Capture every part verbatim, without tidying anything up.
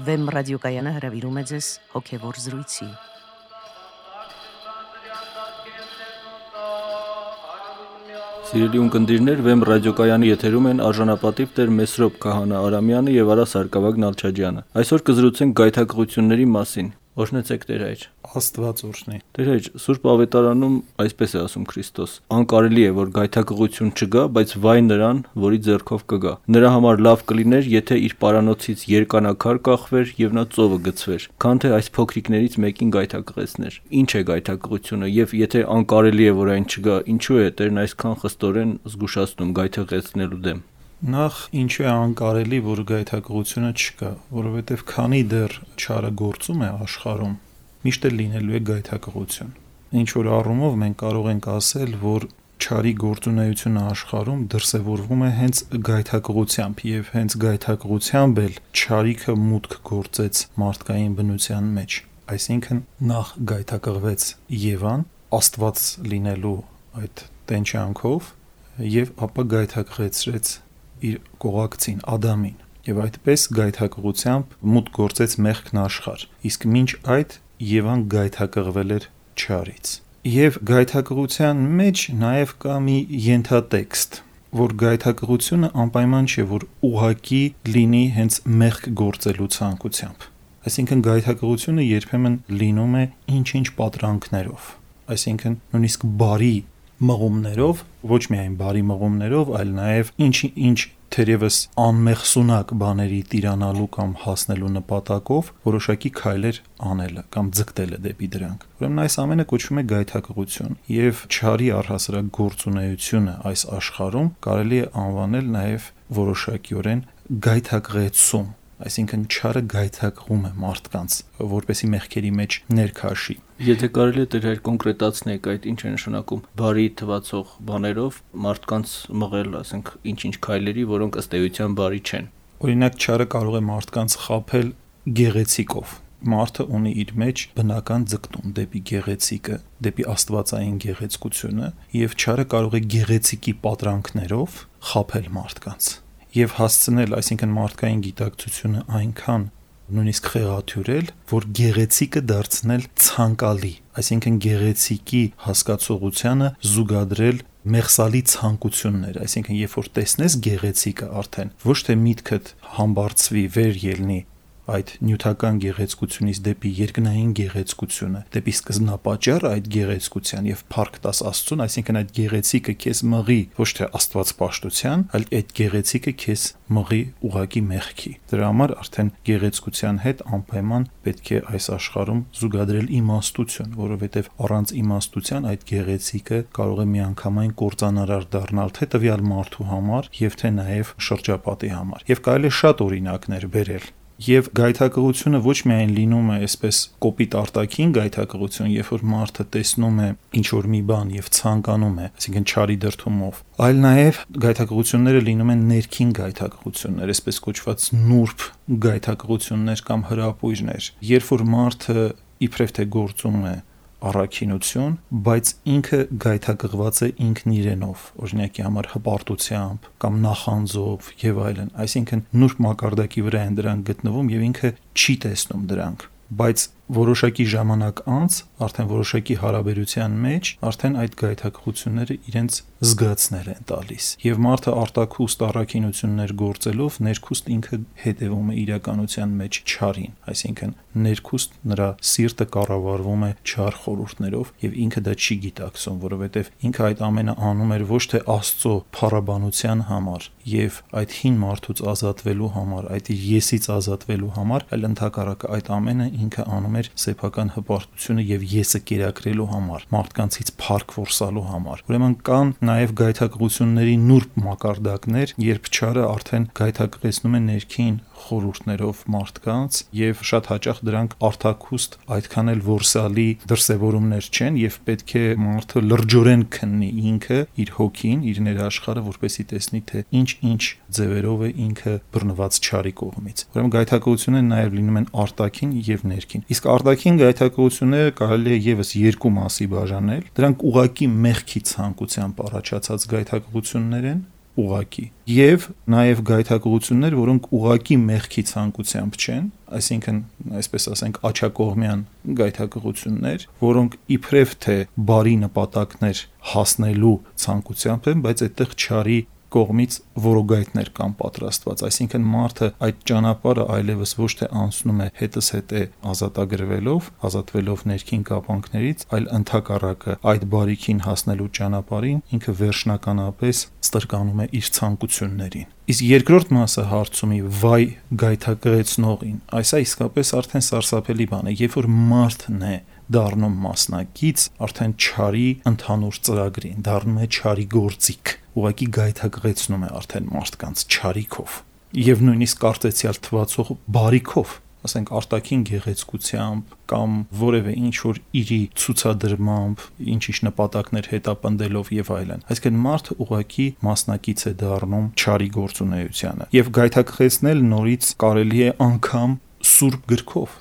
Վեմ ռադիոկայանը հրավիրում է ձեզ հոգևոր զրույցի։ Սիրելի ունկնդիրներ, Վեմ ռադիոկայանի եթերում են արժանապատիվ Տեր Մեսրոպ Քահանա Արամյանը եւ Արա Սարգսակյան Նալչաջյանը։ Այսօր կզրուցենք գայթակղությունների մասին։ Օրհնեցեք Տեր հայր։ Աստված օրհնի։ Տեր հայր, Սուրբ Ավետարանում այսպես է ասում Քրիստոս. անկարելի է, որ գայթակղություն չգա, բայց վայ նրան, որի ձեռքով կգա։ Նրա համար լավ կլիներ, եթե իր պարանոցից երկանակար կախվեր եւ նա ծովը գցվեր, քան թե այս փոքրիկներից մեկին գայթակղեցներ։ Ինչ է գայթակղությունը եւ եթե անկարելի է, որ այն չգա, ինչու է Տերն այսքան խստորեն զգուշացնում գայթակղեցնելու դեմ։ Նախ ինչու է անկարելի, որ գայթակղությունը չկա, որովհետև քանի դեռ չարը գործում է աշխարհում, միշտ է լինելու է գայթակղություն։ Ինչ որ առումով մենք կարող ենք ասել, որ չարի գործունեությունը աշխարհում դրսևորվում է հենց գայթակղությամբ եւ հենց գայթակղությամբ էլ չարիքը մուտք գործեց մարդկային բնության մեջ։ Այսինքն նախ գայթակղվեց Եվան Աստված լինելու այդ տենչանքով եւ ապա գայթակղեցրեց իր կողակցին Ադամին եւ այդպես գայթակղությամբ մուտք գործեց մեղքն աշխարհ, իսկ մինչ այդ Եվան գայթակղվել էր չարից։ Եվ գայթակղության մեջ նաեւ կա մի ենթատեքստ, որ գայթակղությունը անպայման չէ, որ ուղակի լինի հենց մեղք գործելու ցանկությամբ։ Այսինքն գայթակղությունը երբեմն լինում է ինչ-ինչ պատրանքներով, այսինքն նույնիսկ բարի մղումներով, ոչ միայն բարի մղումներով, այլ նաև ինչ-ինչ թերևս անմեղսունակ բաների տիրանալու կամ հասնելու նպատակով որոշակի քայլեր անելը կամ ձգտելը դեպի դրանք։ Ուրեմն այս ամենը կոչվում է գայթակղություն, եւ չարի առհասարակ գործունեությունը այս աշխարհում կարելի է անվանել նաև որոշակիորեն գայթակղեցում, այսինքն չարը գայթակղում է մարդկանց, որպեսի մեղքերի մեջ ներքաշի։ Եթե կարելի է Տեր հայր կոնկրետացնեք այդ ինչ է նշանակում բարի թվացող բաներով մարդկանց մղել, ասենք, ինչ-ինչ քայլերի, որոնք ըստ էության բարի չեն։ Օրինակ չարը կարող է մարդկանց խաբել գեղեցիկով։ Մարդը ունի իր մեջ բնական ձգտում դեպի գեղեցիկը, դեպի աստվածային գեղեցկությունը, եւ չարը կարող է գեղեցիկի պատրանքներով խաբել մարդկանց եւ հասցնել, այսինքն մարդկային գիտակցությունը այնքան նույնիսկ խեղաթյուրել, որ գեղեցիկը դարձնել ցանկալի, այսինքն գեղեցիկի հասկացողությանը զուգադրել մեղսալի ցանկություններ, այսինքն երբ որ տեսնես գեղեցիկը արդեն ոչ թե միտքդ համբարձվի վեր ելնի այդ նյութական գեղեցկությունից դեպի երկնային գեղեցկությունը, դեպի սկզբնապատճառ այդ գեղեցկության եւ փառք տաս Աստծուն, այսինքն այդ գեղեցիկը քեզ մղի ոչ թե աստվածպաշտության, այլ այդ գեղեցիկը քեզ մղի ուղակի մեղքի։ Դրա համար արդեն գեղեցկության հետ անպայման պետք է այս աշխարհում զուգադրել իմաստություն, որովհետեւ առանց իմաստության այդ գեղեցիկը կարող է միանգամայն կործանարար դառնալ թե տվյալ մարդու համար եւ թե նաեւ շրջապատի համար։ Եվ կարելի է շատ օրինակներ բերել։ Եվ գայթակղությունը ոչ միայն լինում է այսպես կոպիտ արտաքին գայթակղություն, երբ որ մարդը տեսնում է ինչ-որ մի բան եւ ցանկանում է, այսինքն չարի դրդումով, այլ նաեւ գայթակղությունները լինում են ներքին գայթակղություններ, այսպես կոչված նուրբ գայթակղություններ կամ հրապույրներ, երբ որ մարդը իբրև թե գործում է առաքինություն, բայց ինքը գայթակղված է ինքն իրենով, օրինակի համար հպարտությամբ կամ նախանձով եւ այլն, այսինքն նուրբ մակարդակի վրա են դրանք գտնվում եւ ինքը չի տեսնում դրանք, բայց որոշակի ժամանակ անց, արդեն որոշակի հարաբերության մեջ, արդեն այդ գայթակղությունները իրենց զգացներ են տալիս։ Եվ մարդը արտաքուստ առաքինություններ գործելով ներքուստ ինքը հետևում է իրականության մեջ չարին, այսինքն ներքուստ նրա սիրտը կառավարվում է չար խորհուրդներով եւ ինքը դա չի գիտակցում, որովհետեւ ինքը այդ ամենը անում էր ոչ թե Աստծո փառաբանության համար եւ այդ հին մարդուց ազատվելու համար, այդ իր եսից ազատվելու համար, այլ ընդհակառակը այդ ամենը ինքը անում էր սեփական հպարտությունը եւ եսը կերակրելու համար, մարդկանցից փառք որսալու համար։ Ուրեմն կան նաեւ գայթակղությունների նուրբ մակարդակներ, երբ չարը արդեն գայթակղեցնում է ներքին խորհուրդներով մարդկանց եւ շատ հաճախ դրանք արտաքուստ այդքան էլ որսալի դրսևորումներ չեն եւ պետք է մարդը լրջորեն քննի ինքը իր հոգին, իր ներաշխարհը, որպեսզի տեսնի թե ինչ-ինչ ձևերով է ինքը բռնված չարի կողմից։ Ուրեմն գայթակղությունները նաեւ լինում են արտաքին եւ ներքին։ Իսկ արտաքին գայթակղությունները կարելի է եւս երկու մասի բաժանել։ Դրանք ուղակի մեղքի ցանկությամբ առաջացած գայթակղություններ են, ուղակի, եւ նաեւ գայթակղություններ, որոնք ուղակի մեղքի ցանկությամբ չեն, այսինքն, այսպես ասենք, աչակողմյան գայթակղություններ, որոնք իբրև թե բարի նպատակներ հասնելու ցանկությամբ են, բայց այդտեղ չարի կողմից որոգայթներ կան պատրաստված, այսինքն մարդը այդ ճանապարհը այլևս ոչ թե անցնում է հետս հետե ազատագրվելով, ազատվելով ներքին կապանքներից, այլ ընդհակառակը այդ բարիքին հասնելու ճանապարհին ինքը վերջնականապես ստրկանում է իր ցանկություններին։ Իսկ երկրորդ մասը հարցումի վայ գայթակղեցնողին, այսա իսկապես արդեն սարսափելի բան է, երբ որ մարդն է դառնում մասնակից, արդեն չարի ընդհանուր ծրագրին, դառնում է չարի գործիք, ուղղակի գայթակղեցնում է արդեն մարդկանց չարիքով եւ նույնիսկ կարծեցյալ թվացող բարիքով, ասենք արտաքին գեղեցկությամբ կամ որևէ ինչ որ իրի ցուցադրմամբ, ինչ-ինչ նպատակներ հետապնդելով եւ այլն։ Այսինքն մարդը ուղղակի մասնակից է դառնում չարի գործունեությանը եւ գայթակղեցնել նորից կարելի է անգամ սուրբ գրքով։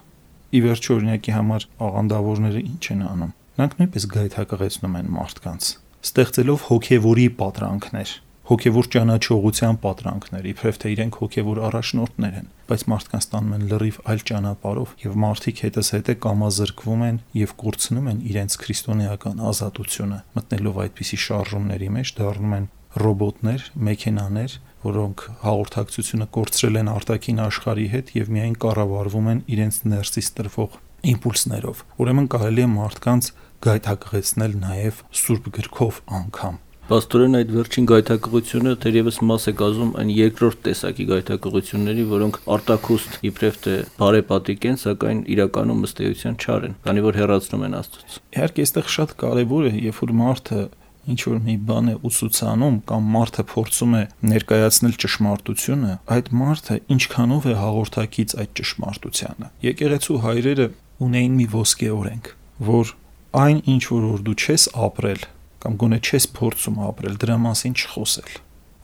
Ի վերջո օրինակի համար աղանդավորները ինչ են անում։ Նրանք նույնպես գայթակղեցնում են մարդկանց, ստեղծելով հոգևորի պատրանքներ, հոգևոր ճանաչողության պատրանքներ, իբրև թե իրենք հոգևոր առաջնորդներ են, բայց մարդկանց տանում են լրիվ այլ ճանապարհով եւ մարդիկ հետզհետե կամազրկվում են եւ կորցնում են իրենց քրիստոնեական ազատությունը, մտնելով այդպիսի շարժումների մեջ, դառնում են ռոբոտներ, մեքենաներ, որոնք հաղորդակցությունը կորցրել են արտաքին աշխարհի հետ եւ միայն կառավարվում են իրենց ներսից տրվող իմպուլսներով։ Ուրեմն կարելի է մարդկանց գայթակղեցնել նաեւ սուրբ գրքով անգամ։ Պաստորեն այդ վերջին գայթակղությունը թերևս մաս է կազմում այն երկրորդ տեսակի գայթակղությունների, որոնք արտաքուստ իբրև թե բարեպատիկ են, սակայն իրականում ըստ էության չար են, քանի որ հեռացնում են Աստծուց։ Իհարկե, այստեղ շատ կարևոր է, երբ որ մարդը ինչ որ մի բան է ուսուցանում կամ մարդը փորձում է ներկայացնել ճշմարտությունը, այդ մարդը ինչքանով է հաղորդակից այդ ճշմարտությանը։ Եկեղեցու հայրերը ունեին մի ոսկե օրենք, որ այն ինչ որ դու չես ապրել կամ գոնե չես փորձում ապրել, դրա մասին չխոսել,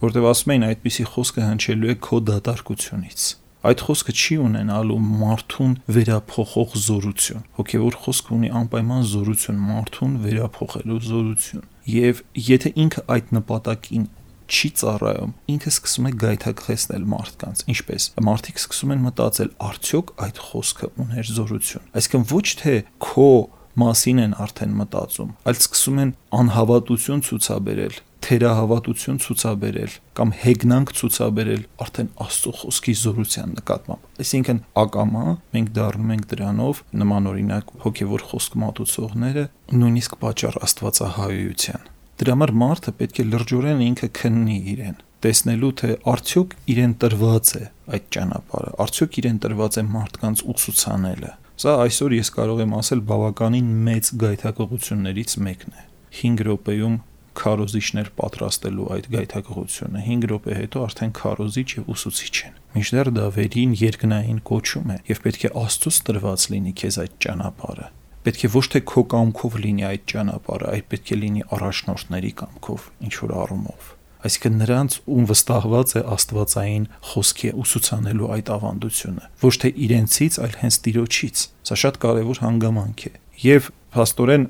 որտեղ ասում էին այդպիսի խոսքը հնչելու է քո դատարկությունից։ Այդ խոսքը չի ունենալու մարդուն վերափոխող զորություն։ Հոգևոր խոսքը ունի անպայման զորություն, մարդուն վերափոխելու զորություն։ Եվ եթե ինքը այդ նպատակին չի ծառայում, ինքը սկսում է գայթակղեցնել մարդկանց։ Ինչպես մարդիկ սկսում են մտածել, արդյոք այդ խոսքը ուներ զորություն։ Այսինքն ոչ թե քո մասին են արդեն մտածում, այլ սկսում են անհավատություն ցուցաբերել, թերահավատություն ցուցաբերել կամ հեգնանք ցուցաբերել արդեն Աստծո խոսքի զորության նկատմամբ։ Այսինքն ակամա մենք դառնում ենք դրանով նման օրինակ հոգևոր խոսք մատուցողները նույնիսկ պատճառ աստվածահայության։ Դրա համար մարդը պետք է լրջորեն ինքը քննի իրեն, տեսնելու թե արդյոք իրեն տրված է այդ ճանապարհը, արդյոք իրեն տրված է մարդկանց ուսուցանելը։ Սա այսօր ես կարող եմ ասել բավականին մեծ գայթակղություններից մեկն է։ հինգ րոպեում քարոզիչներ պատրաստելու այդ գայթակղությունը, հինգ րոպե հետո արդեն քարոզիչ եւ ուսուցիչ են։ Մինչդեռ դա վերին երկնային կոչում է եւ պետք է Աստծուց տրված լինի քեզ այդ ճանապարհը։ Պետք է ոչ թե քո կամքով լինի այդ ճանապարհը, այլ պետք է լինի առաջնորդների կամքով, ինչ որ առումով։ Այսինքն նրանց ում վստահված է աստվածային խոսքի ուսուցանելու այդ ավանդությունը, ոչ թե իրենցից, այլ հենց Տիրոջից։ Սա շատ կարևոր հանգամանք է։ Եվ փաստորեն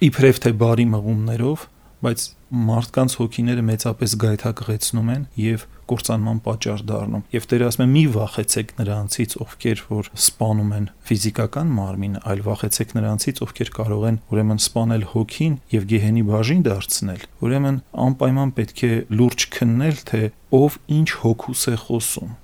իբրև թե բարի մղումներով, բայց մարդկանց հոգիները մեծապես գայթակղեցնում են եւ կործանման պատճառ դառնում։ Եվ Տերը ասում է՝ մի վախեցեք նրանցից, ովքեր որ սպանում են ֆիզիկական մարմինը, այլ վախեցեք նրանցից, ովքեր կարող են ուրեմն սպանել հոգին եւ գեհենի բաժին դարձնել։ Ուրեմն անպայման պետք է լուրջ քննել, թե ով ինչ հոգուս է խոսում,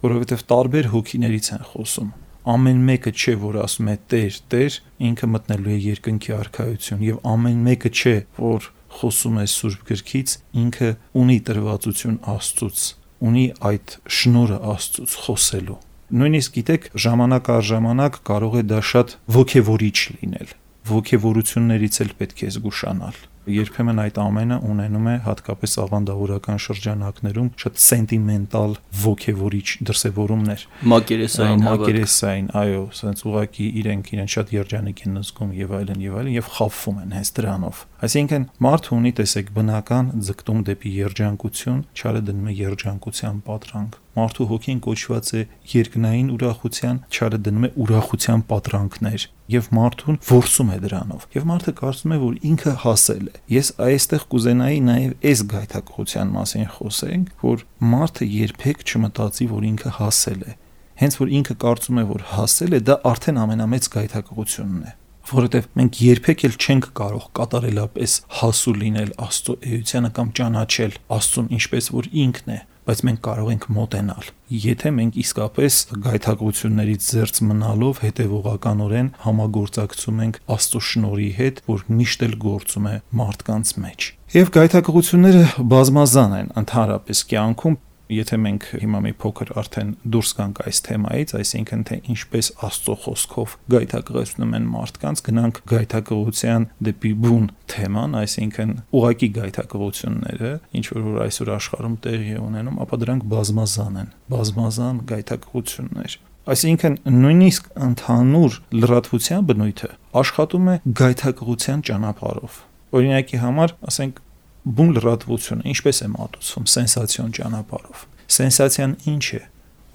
որովհետեւ տարբեր հոգիներից են խոսում։ Ամեն մեկը չէ, որ ասում է Տեր, Տեր, ինքը մտնելու է երկնքի արքայություն, եւ ամեն մեկը չէ, որ խոսում է Սուրբ գրքից, ինքը ունի տրվածություն Աստծուց, ունի այդ շնորհը Աստծուց խոսելու։ Նույնիսկ գիտեք, ժամանակ առ ժամանակ կարող է դա շատ ոգևորիչ լինել։ Ոգևորություններից էլ պետք է զգուշանալ։ Երբեմն այդ ամենը ունենում է հատկապես աղանդավորական շրջանակներում շատ սենտիմենտալ ոգևորիչ դրսևորումներ, մակերեսային, մակերեսային, այո, ասենց ուղղակի իրենք իրեն շատ երջանիկ են զգում եւ այլն եւ այլն եւ խաբվում են հենց դրանով։ Այսինքն մարդը ունի, տեսեք, բնական ձգտում դեպի երջանկություն, չարը դնում է երջանկության պատրանք։ Մարդու հոգին կոչված է երկնային ուրախության, չարը դնում է ուրախության պատրանքներ եւ մարդուն որսում է դրանով։ Եվ մարդը կարծում է, որ ինքը հասել է, է։ Ես այստեղ կուզենայի նաև այս գայթակղության մասին խոսենք, որ մարդը երբեք չմտածի, որ ինքը հասել է։ Հենց որ ինքը կարծում է, որ հասել է, դա արդեն ամենամեծ գայթակղությունն է, որովհետև մենք երբեք էլ չենք կարող կատարելապես հասու լինել Աստծո էությանը կամ ճանաչել Աստծուն ինչպես որ ինքն է, բայց մենք կարող ենք մոտենալ, եթե մենք իսկապես գայթակղություններից զերծ մնալով հետևողականորեն համագործակցում ենք Աստծո շնորհի հետ, որ միշտ էլ գործում է մարդկանց մեջ։ Եվ գայթակղությունները բազմազան են ընդհանրապես կյանքում, եթե մենք հիմա մի փոքր արդեն դուրս գանք այս թեմայից, այսինքն թե ինչպես Աստծո խոսքով գայթակղեցնում են մարդկանց, գնանք գայթակղության դեպի բուն թեման, այսինքն ուղակի գայթակղությունները, ինչ որ այսօր աշխարհում տեղի է ունենում, ապա դրանք բազմազան են, բազմազան գայթակղություններ։ Այսինքն նույնիսկ ընդհանուր լրատվության բնույթը աշխատում է գայթակղության ճանապարհով։ Օրինակի համար, ասենք, բուն լրատվությունը ինչպես է մատուցվում սենսացիոն ճանապարհով։ Սենսացիան ինչ է,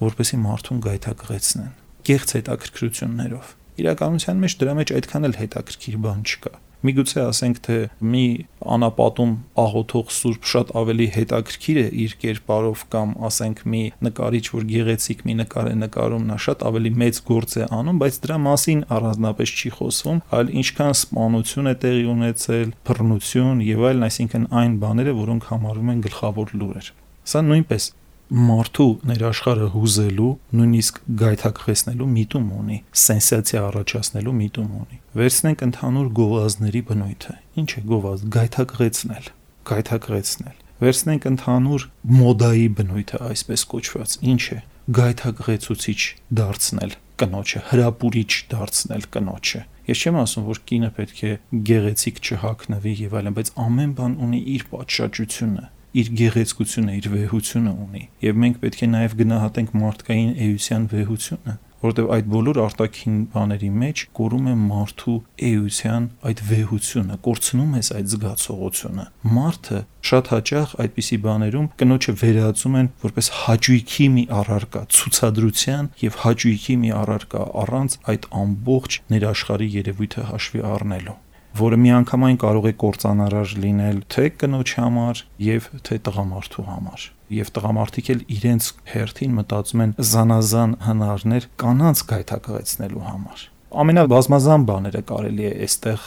որպեսզի մարդուն գայթակղեցնեն, կեղծ հետաքրքրություններով։ Իրականության մեջ դրա մեջ այդքան էլ հետաքրքիր բան չկա։ Միգուցե ասենք, թե մի անապատում աղոթող սուրբ շատ ավելի հետաքրքիր է իր կերպարով, կամ ասենք մի նկարիչ, որ գեղեցիկ մի նկար է նկարում, նա շատ ավելի մեծ գործ է անում, բայց դրա մասին առանձնապես չի խոսվում, այլ ինչքան սպանություն է տեղի ունեցել, բռնություն եւ այլն, այսինքն այն բաները, որոնք համարվում են գլխավոր լուրեր։ Սա նույնպես մարդու ներաշխարհը հուզելու, նույնիսկ գայթակղեցնելու միտում ունի, սենսացիա առաջացնելու միտում ունի։ Վերցնենք ընդհանուր գովազդների բնույթը։ Ինչ է գովազդ? Գայթակղեցնել, գայթակղեցնել։ Վերցնենք ընդհանուր մոդայի բնույթը, այսպես կոչված։ Ինչ է? Գայթակղեցուցիչ դարձնել կնոջը, հրապուրիչ դարձնել կնոջը։ Ես չեմ ասում, որ կինը պետք է գեղեցիկ չհագնվի եւ այլն, բայց ամեն բան ունի իր պատշաճությունը, իր գեղեցկությունը, իր վեհությունը ունի, եւ մենք պետք է նաեւ գնահատենք մարդկային էության վեհությունը, որովհետեւ այդ բոլոր արտաքին բաների մեջ կորում է մարդու էության այդ վեհությունը, կորցնում է այդ զգացողությունը։ Մարդը շատ հաճախ այդպիսի բաներում կնոջը վերածում են որպես հաճույքի մի առարկա, ցուցադրության եւ հաճույքի մի առարկա, առանց այդ ամբողջ ներաշխարհի երևույթը հաշվի առնելու, որը միանգամայն կարող է կործանարար լինել թե կնոջ համար եւ թե տղամարդու համար։ Եվ տղամարդիկ էլ իրենց հերթին մտածում են զանազան հնարներ կանանց գայթակղեցնելու համար։ Ամենաբազմազան բաները կարելի է այստեղ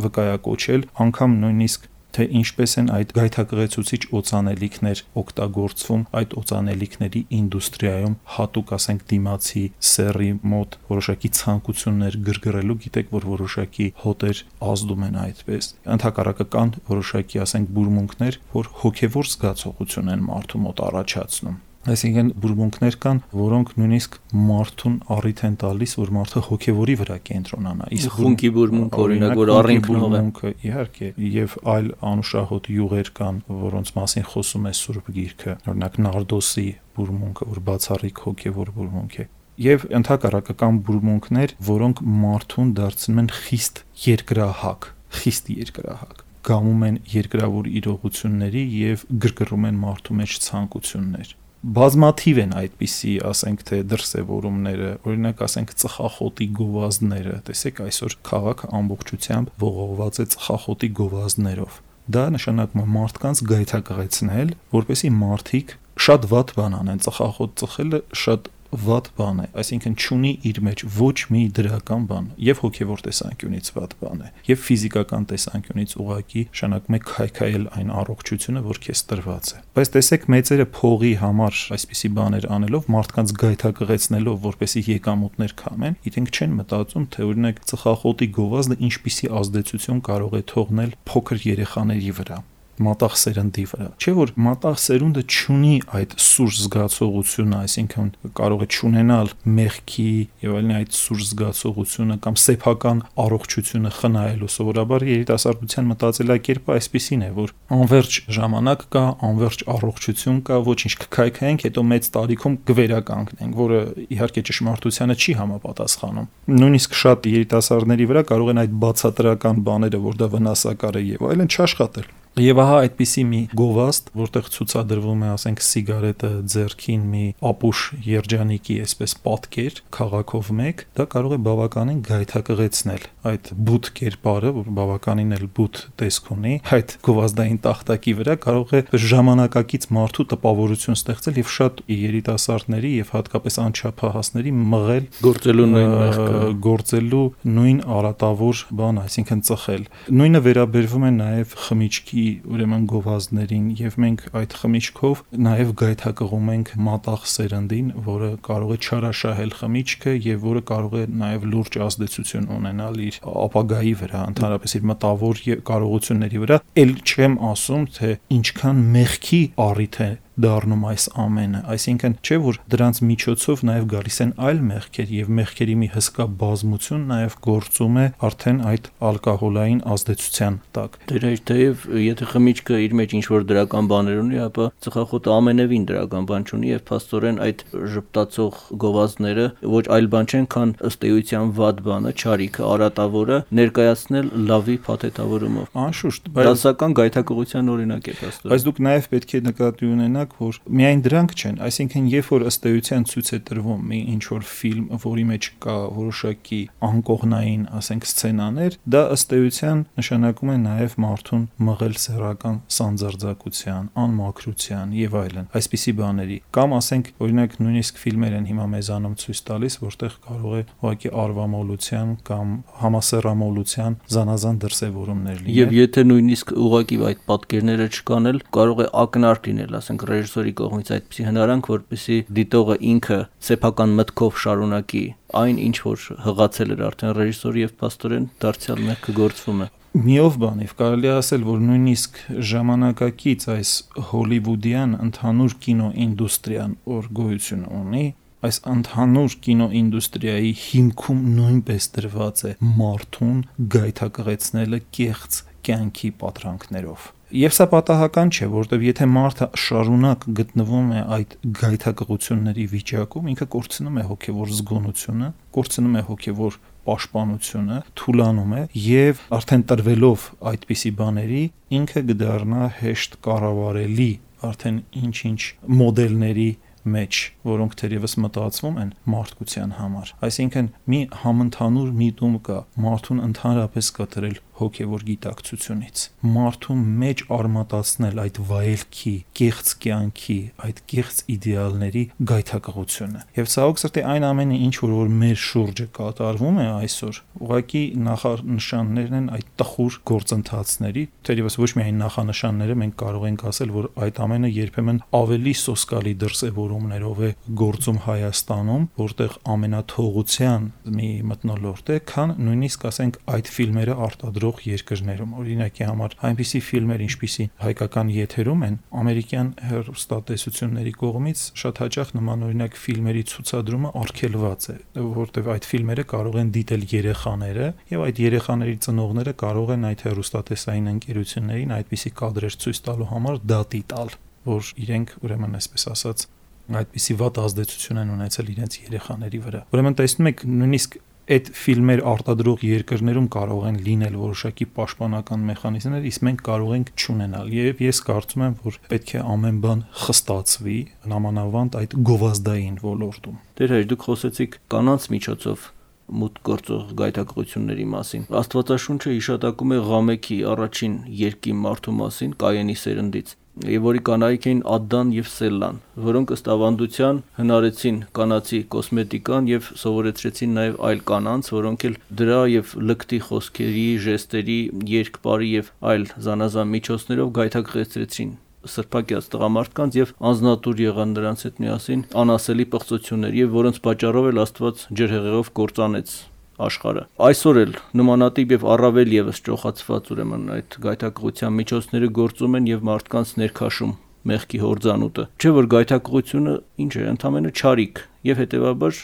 վկայակոչել, անգամ նույնիսկ թե ինչպես են այդ գայթակղեցուցիչ օծանելիքներ օգտագործվում այդ օծանելիքների ինդուստրիայում, հատուկ ասենք դիմացի սեռի մոտ որոշակի ցանկություններ գրգռելու, գիտեք, որ որոշակի հոտեր ազդում են այդպես։ Ընդհակառակը կան որոշակի ասենք բուրմունքներ, որ հոգևոր զգացողություն են մարդու մոտ առաջացնում։ Այսինքն բուրմունքներ կան, որոնք նույնիսկ մարդուն առիթ են տալիս, որ մարդը հոգևորի վրա կենտրոնանա։ Իսկ խունկի բուրմունք, օրինակ, որ առինքնով է, իհարկե, եւ այլ անուշահոտ յուղեր կան, որոնց մասին խոսում է Սուրբ Գիրքը, օրինակ նարդոսի բուրմունքը, որ բացառիկ հոգևոր բուրմունք է։ Եվ ընդհակառակը կան բուրմունքներ, որոնք մարդուն դարձնում են խիստ երկրահակ, խիստ երկրահակ, գամում են երկրավոր իրողությունների եւ գրգռում են մարդու մեջ ցանկություններ։ Բազմաթիվ են այդպիսի, ասենք, թե դրսևորումները, օրինակ ասենք ծխախոտի գովազդները, տեսեք այսօր քաղաքը ամբողջությամբ ողողված է ծխախոտի գովազդներով։ Դա նշանակում է մարդկանց գայթակղեցնել, որպեսզի մարդիկ շատ վատ բան անեն, ծխախոտ ծխելը շատ վատ բան է, այսինքն չունի իր մեջ ոչ մի դրական բան, եւ հոգեվոր տեսանկյունից վատ բան է, եւ ֆիզիկական տեսանկյունից ուղղակի նշանակում է քայքայել այն առողջությունը, որ քեզ տրված է։ Բայց տեսեք, մեծերը փողի համար այսպիսի բաներ անելով, մարդկանց գայթակղեցնելով, որպեսզի եկամուտներ քամեն, իրենք չեն մտածում, թե օրինակ ծխախոտի գովազդը ինչպիսի ազդեցություն կարող է թողնել փոքր երեխաների վրա, մատաղ սերնդի վրա։ Չէ՞ որ մատաղ սերունդը չունի այդ սուր զգացողությունը, այսինքն կարող է չունենալ մեղքի եւ այլն այդ սուր զգացողությունը կամ սեփական առողջությունը խնայելու։ Սովորաբար երիտասարդության մտածելակերպը այսպեսին է, որ անverջ ժամանակ կա, անverջ առողջություն կա, ոչինչ կքայքայենք, հետո մեծ տարիքում կվերականգնենք, որը իհարկե ճշմարտությանը չի համապատասխանում։ Նույնիսկ շատ երիտասարդների վրա կարող են այդ բացատրական բաները, որ դա վնասակար է եւ այլն, չաշխատել։ Եվ ահա այդպիսի մի գովազդ, որտեղ ցուցադրվում է, ասենք, սիգարետը ձեռքին մի ապուշ երջանիկի այսպես պատկեր քաղաքով մեկ, դա կարող է բավականին գայթակղեցնել այդ բութ կերպարը, որ բավականին էլ բութ տեսք ունի, այդ գովազդային տախտակի վրա կարող է ժամանակակից մարդու տպավորություն ստեղծել եւ շատ երիտասարդների եւ հատկապես անչափահասների մղել գործելու նույն մեղքը, գործելու նույն արատավոր բան, այսինքն ծխել։ Նույնը վերաբերվում է նաեւ խմիչքի ուրեմն գովազդներին եւ մենք այդ խմիչքով նաեւ գայթակղում ենք մատաղ սերնդին, որը կարող է չարաշահել խմիչքը եւ որը կարող է նաեւ լուրջ ազդեցություն ունենալ իր ապագայի վրա, ընդհանրապես իր մտավոր կարողությունների վրա։ Էլ չեմ ասում, թե ինչքան մեղքի առիթ է դառնում այս ամենը, այսինքն չէ որ դրանց միջոցով նաև գալիս են այլ մեղքեր եւ մեղքերի մի հսկա բազմություն նաև գործում է արդեն այդ ալկոհոլային ազդեցության տակ։ Դերեջ թեև եթե խմիչքը իր մեջ ինչ որ դրական բաներ ունի, ապա ծխախոտը ամենևին դրական բան չունի եւ փաստորեն այդ ժպտացող գովազդները ոչ այլ բան չեն, քան ըստ էության վատ բանը, չարիքը, արատավորը ներկայացնել լավի փաթեթավորումով։ Անշուշտ, դասական գայթակղության օրինակ է փաստորեն։ Բայց դուք նաև պետք է նկատի ունենաք, որ միայն դրանք չեն, այսինքն երբ որ ըստ էության ցույց է տրվում մի ինչ որ ֆիլմ, որի մեջ կա որոշակի անկողնային, ասենք, սցենաներ, դա ըստ էության նշանակում է նաև մարդուն մղել սեռական սանձարձակության, անմաքրության եւ այլն, այսպիսի բաների։ Կամ ասենք, օրինակ, նույնիսկ ֆիլմեր են հիմա մեզանում ցույց տալիս, որտեղ կարող է ուղղակի արվամոլության կամ համասեռամոլության զանազան դրսևորումներ լինել։ Եվ եթե նույնիսկ ուղղակի այդ պատկերները չկան, կարող է ակնարկ լինել, ասենք, ռեժիսորի կողմից այդպիսի հնարանք, որպեսզի դիտողը ինքը սեփական մտքով շարունակի այն, ինչ որ հղացել էր արդեն ռեժիսորը եւ փաստորեն դարձյալ մեղքը գործվում է։ Միով բանիվ կարելի է ասել, որ նույնիսկ ժամանակակից այս հոլիվուդյան ընդհանուր կինոինդուստրիան, որ գոյություն ունի, այս ընդհանուր կինոինդուստրիայի հիմքում նույնպես դրված է մարդուն գայթակղեցնելը կեղծ կյանքի պատրանքներով։ Եվ սա պատահական չէ, որովհետև եթե մարդը շարունակ գտնվում է այդ գայթակղությունների վիճակում, ինքը կորցնում է հոգևոր զգոնությունը, կորցնում է հոգևոր պաշտպանությունը, թուլանում է եւ արդեն տրվելով այդպիսի բաների, ինքը կդառնա հեշտ կառավարելի արդեն ինչ-ինչ մոդելների մեջ, որոնք թերևս մտածվում են մարդկության համար։ Այսինքն մի համընդհանուր միտում կա մարդուն ընդհանրապես կտրել հոգևոր գիտակցությունից, մարդու մեջ արմատացնել այդ վայելքի, կեղծ կյանքի, այդ կեղծ իդեալների գայթակղությունը։ Եվ ցավոք սրտի այն ամենը, ինչ որ որ մեր շուրջը կատարվում է այսօր, ուղղակի նախանշաններն են այդ տխուր գործընթացների, թերևս ոչ միայն նախանշանները, մենք կարող ենք ասել, որ այդ ամենը երբեմն ավելի սոսկալի դրսևորումներով է գործում Հայաստանում, որտեղ ամենաթողության մի մթնոլորտ է, քան նույնիսկ ասենք այդ ֆիլմերը արտադրող երկրներում։ Օրինակի համար այնպիսի ֆիլմեր, ինչպիսի հայկական եթերում են, ամերիկյան հեռուստատեսությունների կողմից շատ հաճախ նմանօրինակ ֆիլմերի ցուցադրումը արգելված է, որտեղ այդ ֆիլմերը կարող են դիտել երեխաները եւ այդ երեխաների ծնողները կարող են այդ հեռուստատեսային ընկերություններին այդպիսի կադրեր ցույց տալու համար դատի տալ, որ իրենք ուրեմն այսպես ասած այդպիսի վատ ազդեցություն են ունեցել իրենց երեխաների վրա։ Ուրեմն տեսնում եք, նույնիսկ այդ ֆիլմեր արտադրող երկրներում կարող են լինել որոշակի պաշտպանական մեխանիզմներ, իսկ մենք կարող ենք չունենալ։ Եվ ես կարծում եմ, որ պետք է ամեն բան խստացվի, նամանավանդ այդ գովազդային ոլորտում։ Դեր հայր, դուք խոսեցիք կանանց միջոցով մուտք գործող գայթակղությունների մասին։ Աստվածաշունչը հիշատակում է Ղամեքի առաջին երկի մարդու մասին, Կայենի սերնդից, եւ որի կանայք էին Ադդան եւ Սելլան, որոնք ըստ ավանդության հնարեցին կանացի կոսմետիկան եւ սովորեցրեցին նաեւ այլ կանանց, որոնք էլ դրա եւ լկտի խոսքերի, ժեստերի, երկպարի եւ այլ զանազան միջոցներով գայթակղեցրեցին սրբակյաց տղամարդկանց եւ անznատուր եղան նրանց հետ միասին անասելի պղծություններ եւ որոնց պատճառով էլ Աստված ջրհեղեղով կործանեց աշխարհը։ Այսօր էլ նմանատիպ եւ առավել եւս ճոխացված ուրեմն այդ գայթակղության միջոցները գործում են եւ մարդկանց ներքաշում մեղքի հորձանուտը։ Չէ որ գայթակղությունը ինչ է, ընդամենը չարիք եւ հետեւաբար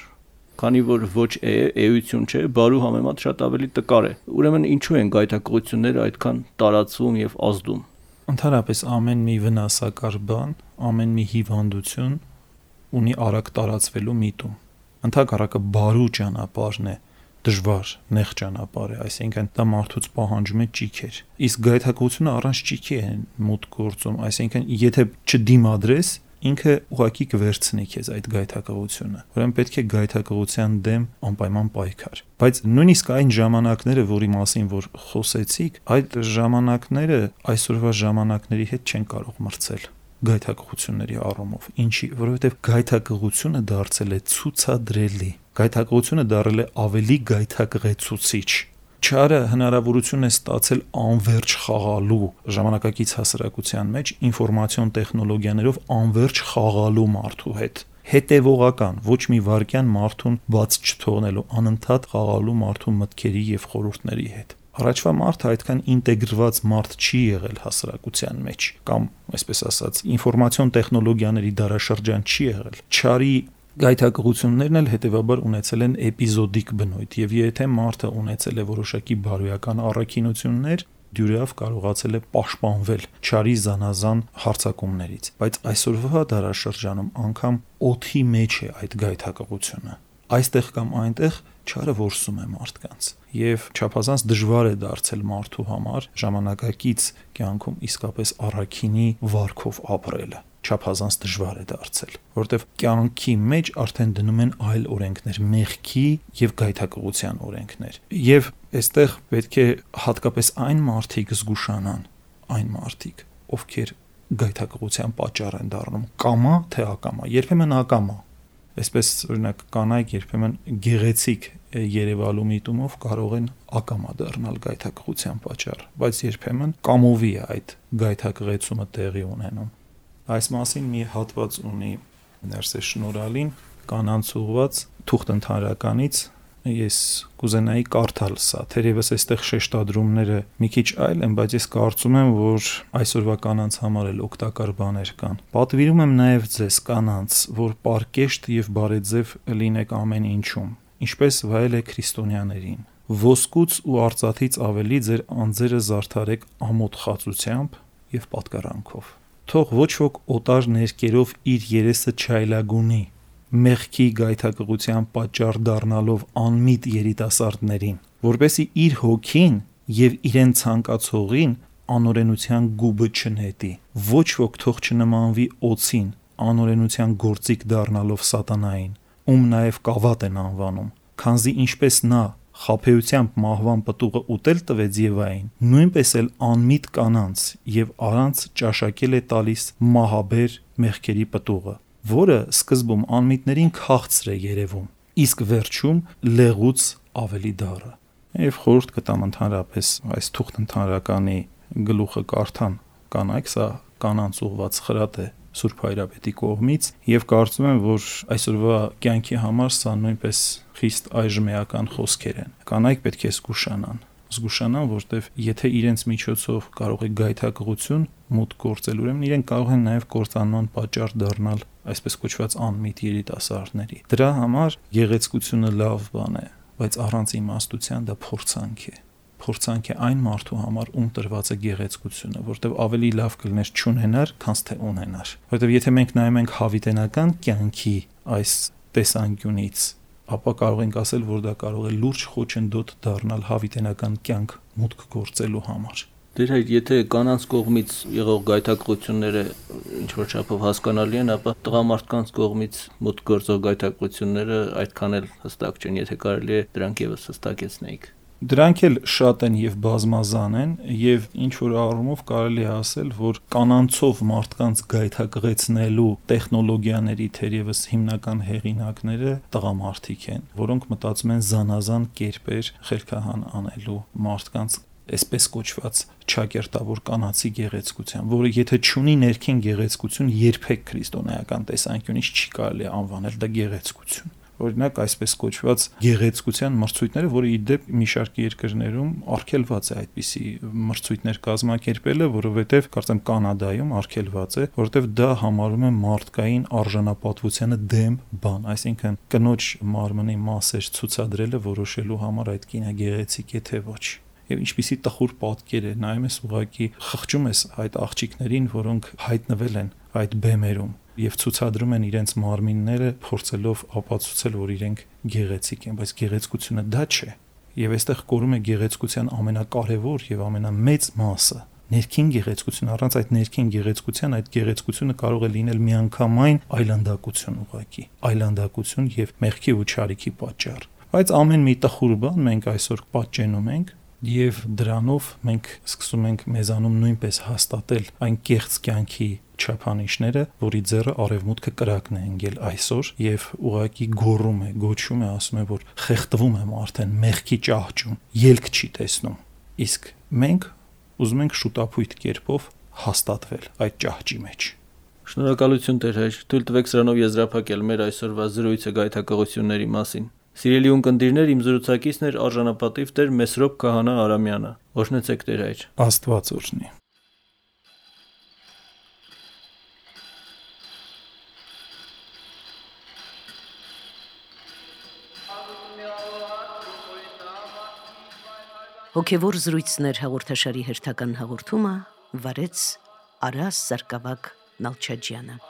քանի որ ոչ է, էություն չէ, բարու համեմատ շատ ավելի տկար է։ Ուրեմն ինչու են գայթակղությունները այդքան տարածվում եւ ազդում։ Ընդհանրապես ամեն մի վնասակար բան, ամեն մի հիվանդություն ունի արագ տարածվելու միտում։ Ընդհակառակը բարու ճանապարհն է դժվար, նեղ ճանապարհ է, այսինքն դա մարդուց պահանջում է ճիգեր։ Իսկ գայթակղությունը առանց ճիգի է մուտք գործում, այսինքն եթե չդիմադրես, ինքը ուղակի կվերցնի քեզ այդ գայթակղությունը։ Ուրեմն պետք է գայթակղության դեմ անպայման պայքար։ Բայց նույնիսկ այն ժամանակները, որի մասին որ խոսեցիք, այդ ժամանակները այսօրվա ժամանակների հետ չեն կարող մրցել գայթակղությունների առումով։ Ինչի, որովհետև գայթակղությունը դարձել է ցուցադրելի։ Գայթակղությունը դարձել է ավելի գայթակղեցուցիչ։ Չարը հնարավորություն է ստացել անverջ խաղալու ժամանակակից հասարակության մեջ ինֆորմացիոն տեխնոլոգիաներով անverջ խաղալու մարդու հետ։ Հետևողական, ոչ մի վարքյան մարդուն բաց չթողնելու, անընդհատ խաղալու մարդու մտքերի եւ խորհուրդների հետ։ Առաջվա մարդը այդքան ինտեգրված մարդ չի եղել հասարակության մեջ, կամ այսպես ասած, ինֆորմացիոն տեխնոլոգիաների դարաշրջան չի եղել։ Չարի գայթակղություններն էլ հետևաբար ունեցել են էպիզոդիկ բնույթ, եւ եթե մարդը ունեցել է որոշակի բարոյական առաքինություններ, դյուրավ կարողացել է պաշտպանվել չարի զանազան հարձակումներից, բայց այսօրվա դարաշրջանում անգամ օդի մեջ է այդ գայթակղությունը։ Այստեղ կամ այնտեղ չարը որսում է մարդկանց եւ չափազանց դժվար է դարձել մարդու համար ժամանակակից կյանքում իսկապես առաքինի վարքով ապրելը։ Չափազանց դժվար է դարձել, որովհետև կյանքի մեջ արդեն դնում են այլ օրենքներ, մեղքի եւ գայթակղության օրենքներ։ Եվ այստեղ պետք է հատկապես այն մարդիկ զգուշանան, այն մարդիկ, ովքեր գայթակղության պատճառ են դառնում, կամա թե ակամա, երբեմն ակամա։ Այսպես օրինակ կանայք երբեմն գեղեցիկ երևալու միտումով կարող են ակամա դառնալ գայթակղության պատճառ, բայց երբեմն կամովի է այդ գայթակղեցումը տեղի ունենում։ Այս մասին մի հատված ունի Ներսես Շնորհալին կանանց ուղված թուղթ ընդհանրականից, ես կուզենայի կարդալ սա, թերևս այստեղ շեշտադրումները մի քիչ այլ են, բայց ես կարծում եմ, որ այսօրվա կանանց համար էլ օգտակար բաներ կան։ Պատվիրում եմ նաև ձեզ կանանց, որ պարկեշտ եւ բարեձև լինեք ամեն ինչում, ինչպես վայել է քրիստոնյաներին։ Ոսկուց ու արծաթից ավելի ձեր անձերը զարդարեք ամոթ խածությամբ եւ պատկարանքով։ Թող ոչ ոք օտար ներկերով իր երեսը չայլագունի, մեղքի գայթակղության պատճառ դառնալով անմիտ երիտասարդներին, որպեսզի իր հոգին եւ իրեն ցանկացողին անօրենության գուբը չնետի։ Ոչ ոք թող չնմանվի օծին, անօրենության գործիք դառնալով սատանային, ում նաեւ կավատ են անվանում, քանզի ինչպես նա խաբեությամբ մահվան պտուղը ուտել տվեց Եվային, նույնպես էլ անմիտ կանանց եւ առանց ճաշակել է տալիս մահաբեր մեղքերի պտուղը, որը սկզբում անմիտներին քաղցր է երևում, իսկ վերջում լեղուց ավելի դառը։ Եվ խորհուրդ կտամ ընդհանրապես այս թուղթ ընդհանրականի գլուխը կարդան կանայք, սա կանանց ուղված խրատ է Սուրբ Հայրապետի կողմից եւ կարծում եմ, որ այսօրվա կյանքի համար սա նույնպես խիստ այժմեական խոսքեր են։ Կանայք պետք է զգուշանան, զգուշանան, որտեվ եթե իրենց միջոցով կարող է գայթակղություն մուտք գործել, ուրեմն իրենք կարող են նաեւ կործանման պատճառ դառնալ այսպես կոչված անմիտ երիտասարդների։ Դրա համար գեղեցկությունը լավ բան է, բայց առանց իմաստության դա փորձանք է։ Փորձանք է այն մարդու համար, ում տրված է գեղեցկությունը, որտեղ ավելի լավ կլիներ չունենար, քան թե ունենար։ Որտեղ եթե մենք նայում ենք հավիտենական կյանքի այս տեսանկյունից, ապա կարող ենք ասել, որ դա կարող է լուրջ խոչընդոտ դառնալ հավիտենական կյանք մուտք գործելու համար։ Դեր հայր, եթե կանանց կողմից եղող գայթակղությունները ինչ որ չափով հասկանալի են, ապա տղամարդկանց կողմից մուտք գործող գայթակղությունները այդքան էլ հստակ չեն, եթե կարելի է դրանք եւս հստակեցնեիք։ Դրանք էլ շատ են եւ բազմազան են եւ ինչ որ առումով կարելի է ասել, որ կանանցով մարդկանց գայթակղեցնելու տեխնոլոգիաների թերևս հիմնական հեղինակները տղամարդիկ են, որոնք մտածում են զանազան կերպեր խելքահան անելու մարդկանց այսպես կոչված ճակերտավոր կանացի գեղեցկության, որը եթե չունի ներքին գեղեցկություն, երբեք քրիստոնեական տեսանկյունից չի կարելի անվանել դա գեղեցկություն։ Օրինակ այսպես կոչված գեղեցկության մրցույթները, որը ի դեպ մի շարք երկրներում արգելված է այդպիսի մրցույթներ կազմակերպելը, որովհետև կարծեմ Կանադայում արգելված է, որովհետև դա համարվում է մարդկային արժանապատվությանը դեմ բան, այսինքն կնոջ մարմնի մասեր ցուցադրելը որոշելու համար այդ կինը գեղեցիկ է թե ոչ։ Եվ ինչպիսի տխուր պատկեր է, նայում ես ուղղակի խղճում ես այդ աղջիկներին, որոնք հայտնվել են այդ բեմերում։ եւ ցուցադրում են իրենց մարմինները, փորձելով ապացուցել, որ իրենք գեղեցիկ են, բայց գեղեցկությունը դա չէ։ Եվ այստեղ կորում է գեղեցկության ամենակարևոր եւ ամենամեծ մասը։ Ներքին գեղեցկություն, առանց այդ ներքին գեղեցկության այդ գեղեցկությունը կարող է լինել միանգամայն այլանդակություն ուղղակի, այլանդակություն եւ մեղքի ու չարիքի պատճառ։ Բայց ամեն մի տխուր բան մենք այսօր պատճենում ենք եւ դրանով մենք սկսում ենք մեզանում նույնպես հաստատել այն կեղծ կյանքի չափանիշները, որի ձեռը արևմուտքը կրակն է ընկել այսօր եւ ուղղակի գոռում է, գոչում է, ասում է, որ խեղդվում եմ արդեն մեղքի ճահճում, ելք չի տեսնում։ Իսկ մենք ուզում ենք շուտապույտ կերպով հաստատվել այդ ճահճի մեջ։ Շնորհակալություն Տեր հայր, թույլ տվեք սրանով եզրափակել մեր այսօրվա զրույցը գայթակղությունների մասին։ Սիրելի ունկնդիրներ, իմ զրուցակիցն էր արժանապատիվ Տեր Մեսրոպ Քահանա Արամյանը։ Օրհնեցեք Տեր հայր։ Աստված օրհնի։ Հոգևոր զրույցներ հաղորդաշարի հերթական հաղորդումը վարեց Արաս Սարգսակ Նալչաջյանը։